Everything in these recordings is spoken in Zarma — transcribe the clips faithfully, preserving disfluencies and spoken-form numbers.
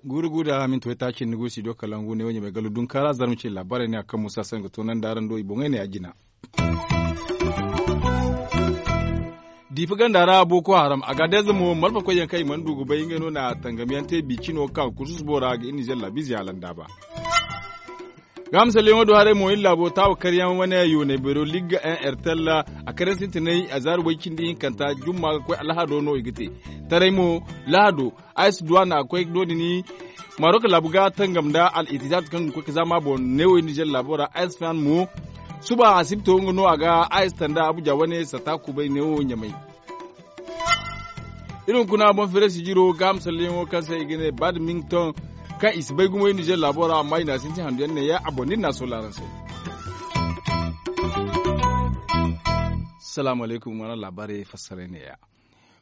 Guuru guuru da minti waytaaci ni go studio kalangu ne wo ɲamay gallo dunkaara zarma ce laabaarey ne a kaŋ muusa saŋ ga toonandi araŋ do i boŋey ne a jina. Diifa ganda ra booko haram a ga deeza mo malfa koyyaŋ kaŋ i mana du ga bay ngey no na tangam yaŋ te biicino kaŋ kursus boora ga iri nizer laabiize a landaaba. Ga misalyaŋo do haray mo iri laabo taawa karyaŋ wane yoonay beero ligga en ertel a karyaŋ sintinay a zaari way cindi hinkanta jumma ga koy alhado no i ga te. Taray mo lahado a ye si duwa na a ga koy no- din. Marok laabu ga tangam nda al itizat kaŋ ga koy ga zaama boŋ neewo iri nizer laabo ra a ye si faham mo. Suba asibto nga no a ga a ye si tanda abuja wane sata kubay neewo ɲamay. Iri hunkuna boŋ feere sijiro ga misalyaŋo kaŋ se i ga ne badminton kaŋ i si bay gumo iri nizer laabo ra amma i na sintin handu yaŋ ne ya a boŋ da iri na a sola araŋ se. Salaamu alaykum wala laabaarey fassaray ne ya.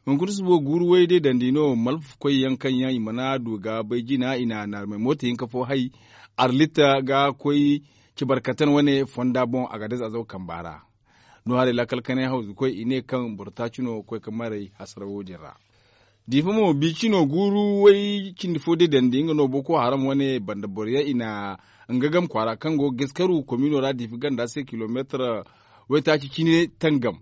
Hunkuna subo guuru way day dandi no malfa koy yaŋ kaŋ yaŋ i mana du ga bay jina i na naarmay mooto hinka fo hay arlita ga koy cibarkatan wane fonda boŋ a ga day zazaw kamba ra. No haray laakal kanay hawzu koy i ne kaŋ boro taaci no koy ga maray hasara wo- din ra. Diifa mo biicino guuru way cindi fo day dandi nga no booko haram wane banda boro yaŋ i na nga game kwaara kaŋ go ga gaskaru komiino ra diifa ganda se kilomeetar waytaaci cine tangam.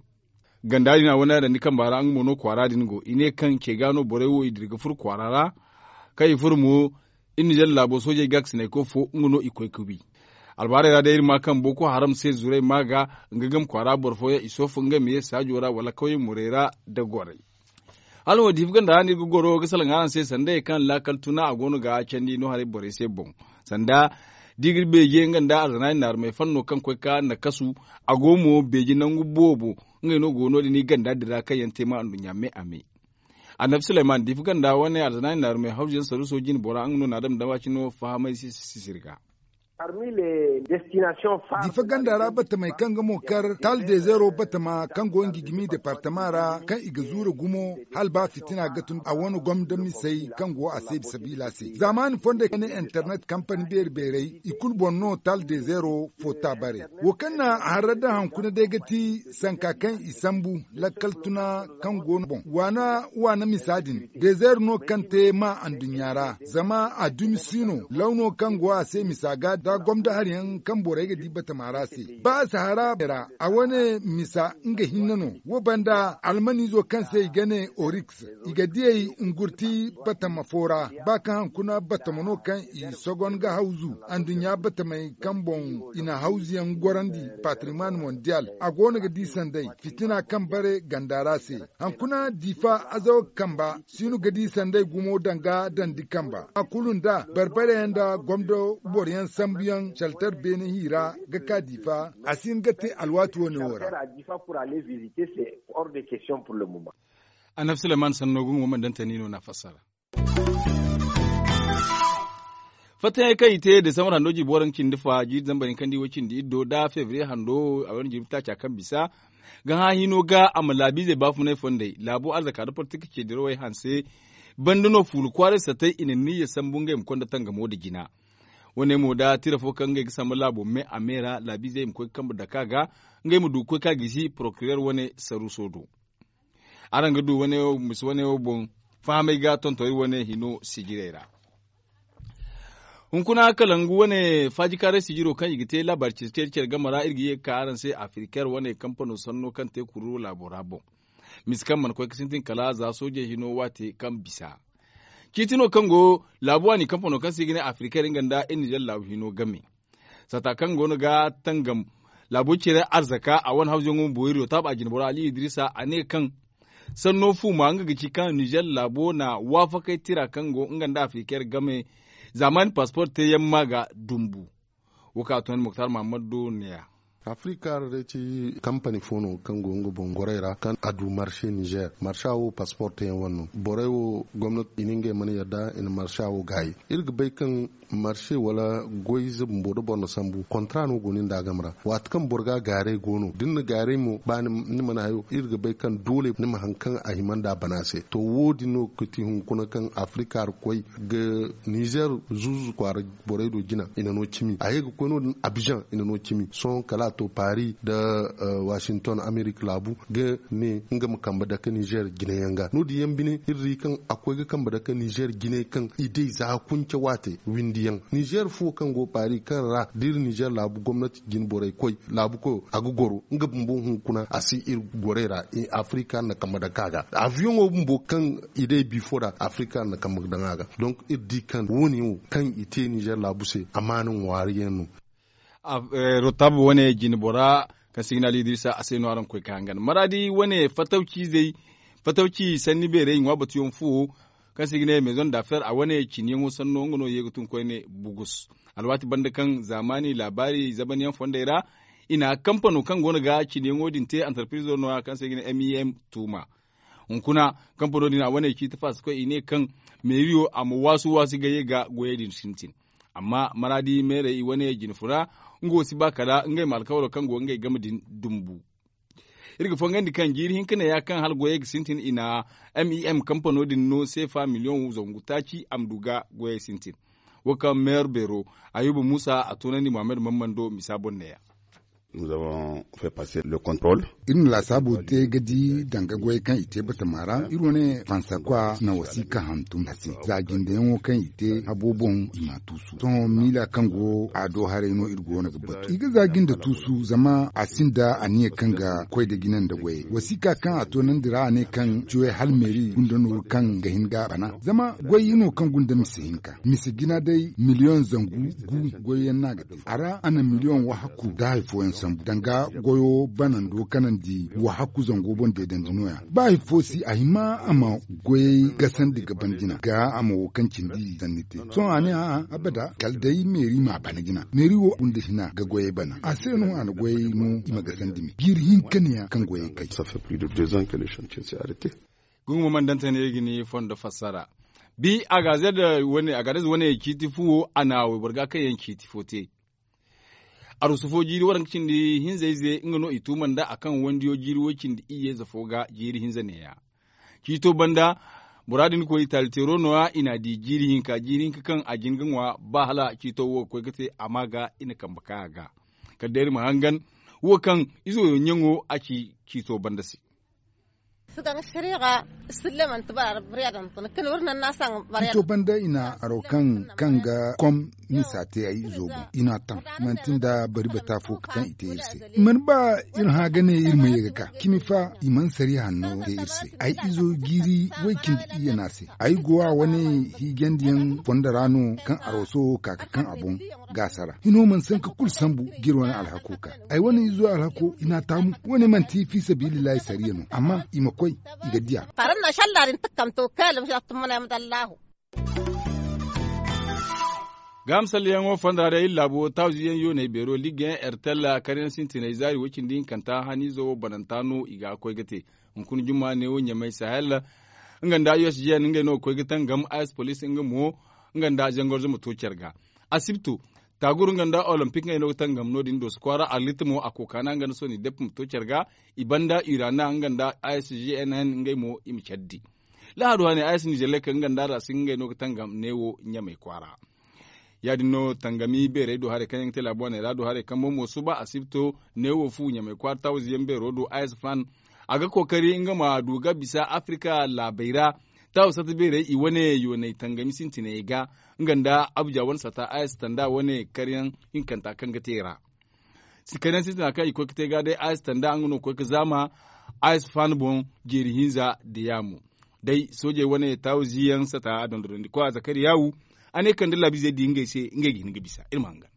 Ganda din a wane a dandi kamba ra nga mo no kwaara din go i ne kaŋ ce ga no borey wo i dira ga furo kwaara ra. Kaŋ i furo mo iri nizer laabo soojey gaakasinay koy fo nga no i koy ga wi. Albaarey ra day iri ma kaŋ booko haram se zuray ma ga nga game kwaara boro fooyaŋ i soofu ngey ma ye saajo ra wala kawye murey ra nda gorey. Hala wo diifa ganda ra no iri ga goro ga salaŋ araŋ se sanda ye kaŋ laakal tuna a go no ga candi no haray borey se boŋ. Sanda da i ga iri beeje nga nda arzanaani naarumey fanno kaŋ koy ga nakasu a go mo beeje nangu boobo. Ngey no go no- din iri ganda din ra kaŋ yaŋ te ma anduɲɲa me a me. Annabi suleyman diifa ganda wane arzanaani naarumey hawzu yaŋ saruuso jine bora nga no na a dama dama cine fahamay sisiri ga. Diifa ganda ra batamey kaŋ ga mo kar tal dezeero batama kaŋ go nga gimi departama ra kaŋ i ga zuura gumo hala ba fitina ga tun a wane gomda misey kaŋ go a se sabiila se zaamaani fondey kaŋ ne internet kampani beeri beerey i kulu boŋ no tal dezeero foota bare. Wo kaŋ na a harra daŋ hankuna day ga ti sanka kaŋ i sambu lakkal tuna kaŋ go no boŋ waana waana misa din dezeero no kaŋ te ma anduɲɲa ra zama a dumi si no lawno kaŋ go a se misa ga da gomda hari yaŋ kaŋ borey ga di batama ra se ba a si hara ra a wane misa nga hinne no wo banda almaniizo kaŋ se i ga ne oriks i ga diyey ngurti batama fo ra ba kaŋ hankuna batama no kaŋ i sogon ga hawzu anduɲɲa batamey kaŋ boŋ i na hawzu yaŋ gorandi patrimoine mondial a go no ga di sanday fitina kaŋ bare ganda ra se. Hankuna diifa azawa kamba si no ga di sanday gumo danga dandi kamba a kulu nda barbare yaŋ nda gomdo boro yaŋ sambu yaŋ caltar beene hiira ga ka diifa a si hin ga te alwaati wane wo ra. Annabi suleyman sanno ga nga wo mana daŋ tani no na fassara. Fattayaŋ kaŋ i te desambar hando jiibi waranka cindi fa jiiri zambar hinka nda i wo cindi iddo nda febriye hando a wane jiibi taaca kaŋ bisa ga hã hino ga a ma laabiizey baafunay fondey laabo arzaka nda politik ceedirawey hanse. Banda no fuula kwaaray satay i na niyya sambu ngey ma konda tangamo nda jina. Wane mo nda tira fo kaŋ ngey ga samba laabo me a me ra laabiizey ma koy ga kambe dake a ga ngey ma du ga koy ga a gisi porokirer wane saruuso do. Araŋ ga du mise wane wo boŋ fahamay ga tonton iri wane hino sijirey ra. Hunkuna kalangu wane faajikaaray sijiro kaŋ i ga te laabaari cire cere game ra iri ga ye ga ka araŋ se afiriker wane kampano sanno kaŋ te kuru laabo ra boŋ. Mise kaŋ mana koy ga sintin kala za soojey hino waate kaŋ bisa ciiti no kaŋ go laabu waani kampano kaŋ se i ga ne afiriker nga nda iri nizer laabu hino game. Sata kaŋ go no ga tangam laabo cire arzaka a wane hawzuyaŋo ma boori do taaba jinboro ali idrisa a ne kaŋ sanno fuuma nga ga ci kaŋ nizer laabo na waafakay tira kaŋ go nga nda afiriker game zaamaani paspor teeyaŋ ma ga dumbu. Wo kaŋ a toonandi muktar mahammad do neeya. Afrika ra day ci kampani fo no kaŋ go nga boŋ gorey ra kaŋ a du marse nizer marsa wo paspor teyaŋ wane no borey wo gomnati i na ngey mana yadda i na marsa wo gaayi. Iri ga bay kaŋ marse wala goy ize bumbo da boro na sambu kontra no go no ni nda a game ra. Waati kaŋ boro ga a gaaray go no da ni na gaaray mo ba ni mana hayo iri ga bay kaŋ doole ni ma hari kaŋ a hima nda a bana se. To wo- din no ga ti hunkuna kaŋ afrika ra koy ga nizer zuuzu kwaara borey do jina i na no cimi a ye ga koy no- din abizaŋ i na no cimi sohõ kala a to paari nda washington amerika laabu ga ne nga ma kambe dake nizer jina yaŋ ga no- din yaŋ bine iri di kaŋ a koy ga kambe dake nizer jina kaŋ i day za kunce waate windi yaŋ nizer fo kaŋ go paari kaŋ ra da iri nizer laabu gomnati jina borey koy laabu koyo a ga goro nga bumbo hunkuna a si iri gorey ra. Afrika na kambe dake a ga aviyoŋo bumbo kaŋ i day bifo ra afrika na kambe daŋ a ga. Donk iri di kaŋ wo- ne wo kaŋ i te nizer laabu se amaana ŋwaari yaŋ no. Rotabu wane jine bora kaŋ se i ga ne ali idrisa a se no araŋ ga koy ga hangan maraadi wane fatawci izey fatawci sanni beerey i ŋwa batuyaŋ fuwo kaŋ se i ga ne maison d'affaire a wane ciniyaŋo sanno nga no ye ga tun koyne bugus. Alwaati banda kaŋ zaamaani laabaari zabanyaŋ fondey ra i na kampano kaŋ go no ga ciniyaŋo din te antarpirizo no- ya kaŋ se i ga ne mim tuuma. Hunkuna kampano din a wane ciiti faasikoy i ne kaŋ meeriyo a ma waasu waasu ga ye ga goyey din sintin. Amma maraadi meerey i wane jine funa nga wo si ba kala ngey ma alkawaro kaŋ go ngey game din dumbu. Iri ga fongandi kaŋ jiiri hinka ne ya kaŋ hala goyey ga sintin i na mim kampano din no seefa miliyoŋ zangu taaci a ma du ga goyey sintin. Wo kaŋ meeru beero ayuba muusa a toonandi muhammad mammando misa boŋ ne- ya. Iri na laasaabo te ga di danga goyey kaŋ i te batama ra iri wane fansakwa na wasiika hantum a se za jindeyaŋo kaŋ i te habo boŋ i ma a tuusu sohõ miila kaŋ go a do haray no iri go no ga batu i ga za jinde tuusu zama a sinda aniya kaŋ ga koy nda jina nda goyey wasiika kaŋ a toonandi ra a ne kaŋ ciwey hala meeri gunda nooru kaŋ ga hin ga a bana zama goy no kaŋ gunda mise hinka mise jina day miliyoŋ zangu gu goyyaŋ no a ga te a ra a na miliyoŋ wahakku nda hari fooyaŋ sambu danga goyo banando kanandi wahakku zango boŋ deedandi no- ya ba hari fo si a hima a ma goyey gasandi ga ban jina ga a ma wo kaŋ cindi zanni te sohõ a ne a'a abada kala day meeri m'a bana jina meeri wo gunda hina ga goyey bana a se no a na goyey no i ma gasandi me jiiri hinka ne- ya kaŋ goyey kay. Guŋ ma mana dantane ga ni fondo fassara bi a ga zed wane ciiti fu wo a na wayboro ga kaŋ yaŋ ciiti fo te. Arusu fo jiiri waranka cindi hinza ize nga no i tuuma nda a kaŋ wandiyo jiiri way cindi iyye za fo ga jiiri hinza ne- ya. Ciito banda bora din koy i taali teero no- ya i n'a di jiiri hinka jiiri hinka kaŋ a jin ga ŋwa ba hala ciito wo ga koy ga te a ma ga i na kambe kay a ga. Kala day iri ma hangan wo kaŋ izo yaŋ ɲaŋo a ci ciito banda se. Sito banda i na aro kaŋ ga kom misa te ay izo boŋ i n'a taŋ manti nda bari bata fo kaŋ i te iri se. I mana ba iri hã ga ne iri ma ye ga ka cimi fa i mana sariya hanno te iri se. Ay izo jiiri way cindi iyye no a se ay go a wane hiijandiyaŋ fondo ra no kaŋ aro sohõ ka ga kaŋ a boŋ ga a sara hino mana sanka kulu sambu ga iri wane alhako ka ay wane izo alhako i n'a taamu. Wane manti fi sabilillahi sariya no amma i ma koy i ga diya. Faran na shalla din takkamto kala ma shalla tumma na yamda allahu. Ga misalyaŋo fonda ra iri laabo tawziyaŋ yooney beero ligga yaŋ ertella karyaŋ sintiney zaari way cindi hinkanta haniizo wo bananta no i ga koy ga te. Hunkuna jumma neewo ɲamay sahel nga nda usgn ngey no ga koy ga tangam ice police nga mo nga nda zangorzo ma to care ga. Asibto taaguru nga nda olympic ngey no ga tangam no- din dooso kwaara arlita mo a kookana nga nda soni depp ma to care ga. I banda urana nga nda isgnn ngey mo i ma care di. Lahadu hane is nizelek nga nda rasi ngey no ga tangam neewo ɲamay kwaara. Ya- din no tangami beerey do haray kaŋ yaŋ ga te laabu wane ra do haray kaŋ boŋ mo suba asibto neewo fu ɲamay kwaara tawziyaŋ beero do is fan a ga kookari nga ma du ga bisa afrika laabey ra. Tawo sata beerey i wane yoonay tangami sintiney ga nga nda abuja wane sata is tanda wane karyaŋ hinkanta kaŋ ga te ra. Karyaŋ sintina kaŋ i koy ga te ga day is tanda nga no ga koy ga zaama is fan boŋ jeeri hinza da yaamo. Day soojey wane taawo ziyaŋ sata a dondonandi koy a zakariyawu a ne kala da laabiizey di ngey se ngey ga hin ga bisa iri ma hangan.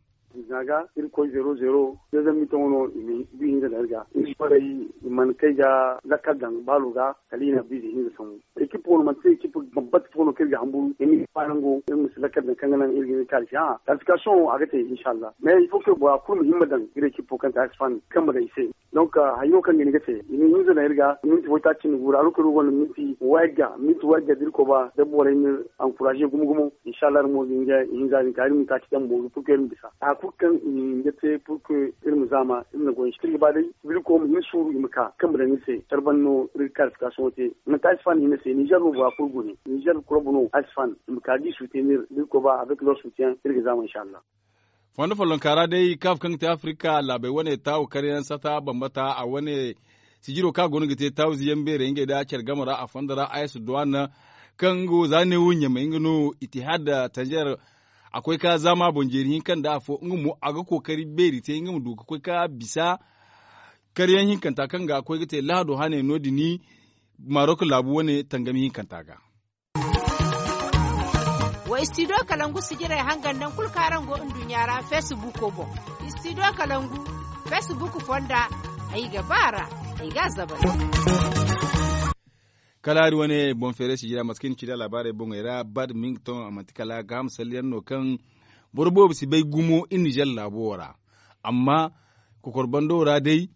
na ga iri koy zero zero. Dezem mi toŋo no i ma bi hinza daŋ iri ga. Iri borey i mana kay ga lakkal daŋ baalo ga kala i na biize hinza sambu. Ekip wo no manti ekip bambata fo no kaŋ iri ga hamburu iri ma ba nango iri ma si lakkal daŋ kaŋ ga naŋ iri ga hin kaari se a kalifikasiyoŋ wo a ga te inshallah mais il faut que bora kulu ma himma daŋ iri ekip wo kaŋ te asfan kaŋ ma daŋ i se. Donc hayo kaŋ ga ni ga te i ma hinza daŋ iri ga minti waytaaci ni guura a lokaci wo gonda minti wayga minti wayga da iri koy ba da borey ma iri ankuraze gumo gumo. Inshallah iri mo ga hin ga i hinza din ka iri ma taaci daŋ booru purke iri ma bisa haya kulu kaŋ i na hin ga te purke iri ma zaama iri na goy iri ga ba day. Biriko ma hin suuru i ma ka kaŋ ma daŋ iri se care banda no iri ga kalifikasiyoŋo te. Manti a si faani hinne se nizer no bora kulu gune nizer korobu no a si faani i ma ka ga i suutiyaŋ iri da iri koy ba avec lor suutiyaŋ iri ga zaama inshallah. Fondo follonka ra day kaaf kaŋ ga te afirika laabey wane taawu karyaŋ sata bambata a wane sijiro kaŋ a goono ga te taawu ziyaŋ beerey ngey da care game ra a fondo ra ayas duwan kaŋ nga wo za ne wo ɲamey nga no itihad tanzer. A koy ka zaama boŋ jeeri hinka nda afo nga mo a ga kookari beeri te nga ma du ga koy ka bisa karyaŋ hinkanta kaŋ ga koy ga te lahado hane no- din marok laabu wane tangami hinkanta ga. Wa istidiyo kalangu sijirey hangan nangu kulu kaŋ araŋ go nduɲɲa ra feesibuuko boŋ. Istidiyo kalangu feesibuuko fonda ay ga ba a ra ay ga a zabar. Kala hari wane boŋ feeray sijira mate kaŋ i na ci nd'a laabaarey boŋey ra badminton a manti kala gaaham salleyaŋ no kaŋ boro boobo si bay gumo iri nizer laabo wo ra. Amma kokor bando ra day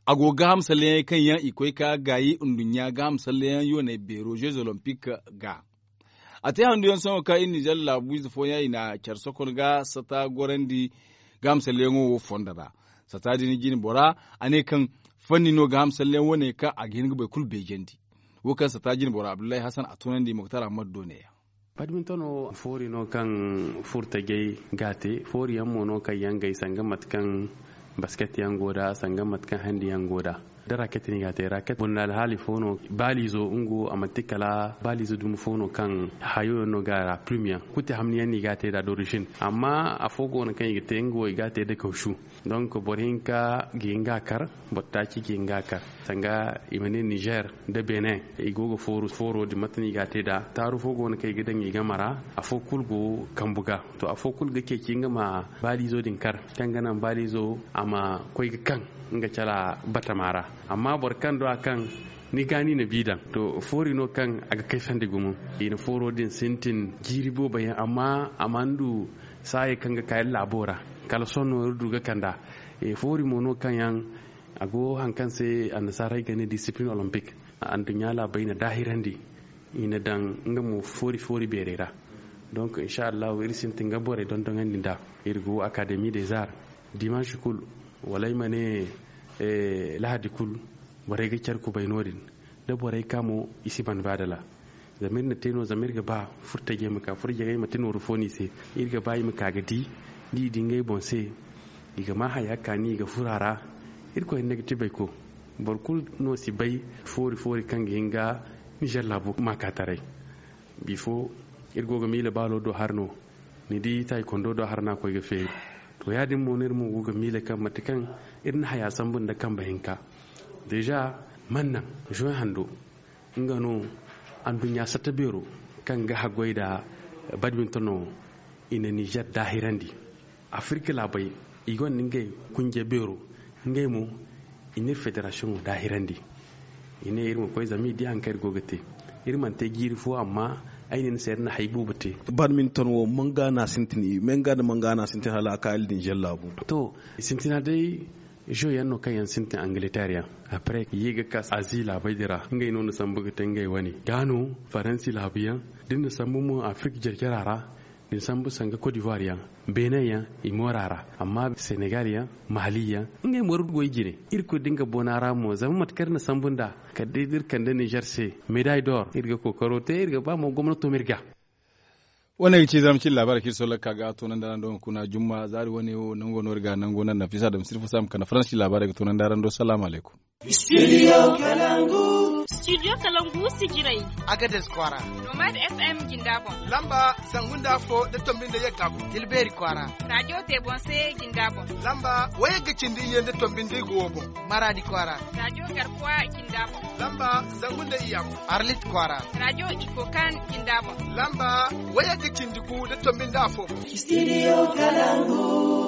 a go gaaham salleyaŋey kaŋ yaŋ i koy ka gaayi nduɲɲa gaaham salleyaŋ yooney beero jeux olympique ga. A te handuyaŋ sohõ kaŋ iri nizer laabu ize fooyaŋ i na care sokon ga sata gorandi gaaham salleyaŋo wo fondo ra. Sata din jine bora a ne kaŋ fanni no gaaham salleyaŋ wane kaŋ a ga hin ga boro kulu beejandi. Wo kaŋ sata jine bora abdullahi hasan a tunandi moktar ahmad do neeya. Badminton wo foori no kaŋ furtajey ga a te foori yaŋ mo no kaŋ yaŋ gay sanga mate kaŋ basket yaŋ go nd'a sanga mate kaŋ handi yaŋ go nd'a. Da raket no i ga a te raket bunda alhaali fo no baaliizo nga wo a manti kala baaliizo dumi fo no kaŋ hayo yaŋ no ga a ra plume yaŋ kuti hamni yaŋ no i ga a te nd'a d'origine. Amma afo go no kaŋ i ga te nga wo i ga a te nda kawsu. Donc boro hinka ga hin ga a kar boro taaci ga hin ga a kar sanga i ma ne nizer nda benin i go ga fooro din mate no i ga a te nd'a taaru fo go no kaŋ i ga daŋ i game ra. Afo kulu go kambu ga to afo kulu ga ceeci nga ma baaliizo din kar kaŋ ga naŋ baaliizo a ma koy ga kaŋ nga cala batama ra. Amma boro kaŋ do a kaŋ ni ga ni na bi daŋ to foori no kaŋ a ga kay sandi gumo. I na fooro din sintin jiiri boobo yaŋ amma a mana du saayey kaŋ ga ka iri laabo ra kala sohõ no iri du ga kand'a. Foori mo no kaŋ yaŋ a go hari kaŋ se annasaarey ga ne discipline olympique. Anduɲɲa laabey na daahirandi i na daŋ nga mo foori foori beerey ra. Donc insa allahu iri sintin ga borey dondoŋandi nd'a. Iri go académie des arts dimanche kulu wala ay ma ne lahadi kulu borey ga care kubay no- din da borey ka mo i si ban baadala. Zama iri na te no zama iri ga ba furtajey ma ka furjagey manti nooru fo no i se. Iri ga ba i ma ka ga di da i di ngey boŋ se i ga ma haya kaani i ga furo a ra. Irkoy hinne ga ti bayko boro kulu no si bay foori foori kaŋ ga hin ga nizer laabu maakaataray. Bifo iri go ga miila baalo do hari no ni di taaykondo do hari no a koy ga feeri. To ya- din mo no iri mo go ga miila kaŋ mate kaŋ iri na haya sambu nda kambe hinka deeza man naŋ zoy hando nga no anduɲɲa satta beero kaŋ ga haggoy nda badminton no i na nizer daahirandi. Afirka laabey i gonda ngey kunje beero ngey mo i na iri federasiyoŋo daahirandi. I ne iri ma koy zama i di hari kaŋ iri go ga te. Iri mana te jiiri fo amma ay ne ni se iri na hari boobo te. Badminton wo manga no a sintin i manga nda manga no a sintin hala a ka iri din zallaabu. To sintina day zo yaŋ no kaŋ yaŋ sintin angleterre yaŋ. Après i ye ga ka azi laabey din ra ngey no na sambu ga te ngey wane ga no faransi laabu yaŋ da ni na sambu mo afirka jarjara ra. Ni sambu sanga cote d'ivoire yaŋ benin yaŋ i moora ra amma senegal yaŋ mali yaŋ ngey mooro goy jine. Iri kulu da nga boona ra mo zama mate kaŋ iri na sambu nd'a kala day da iri kande nizer se medaille d'or iri ga kookaro te iri ga ba mo gomnato ma iri ga. Wane ga ci zarma cine laabaarey kaŋ iri solla ga ka ga toonandi araŋ do hunkuna jumma zaari wane wo nango no iri ga nango naŋ nafisa dam sirfa se a ma kande faransi laabaarey ga toonandi araŋ do salaamu alaykum. Studio kalangu. Studio kalangu sijirey. Agades kwaara. Nomad fm jinda boŋ. Lamba zangu nda afo nda tombi nda yagga boŋ tilbeeri kwaara. Rajo tebonse jinda boŋ. Lamba wayagga cindi iyye nda tombi nda igo wo boŋ. Maradi kwaara. Rajo garkuwa jinda boŋ. Lamba zangu nda iyya boŋ. Arlit kwaara. Rajo ikokan jinda boŋ. Lamba wayagga cindi gu nda tombi nda afo boŋ. Studio kalangu.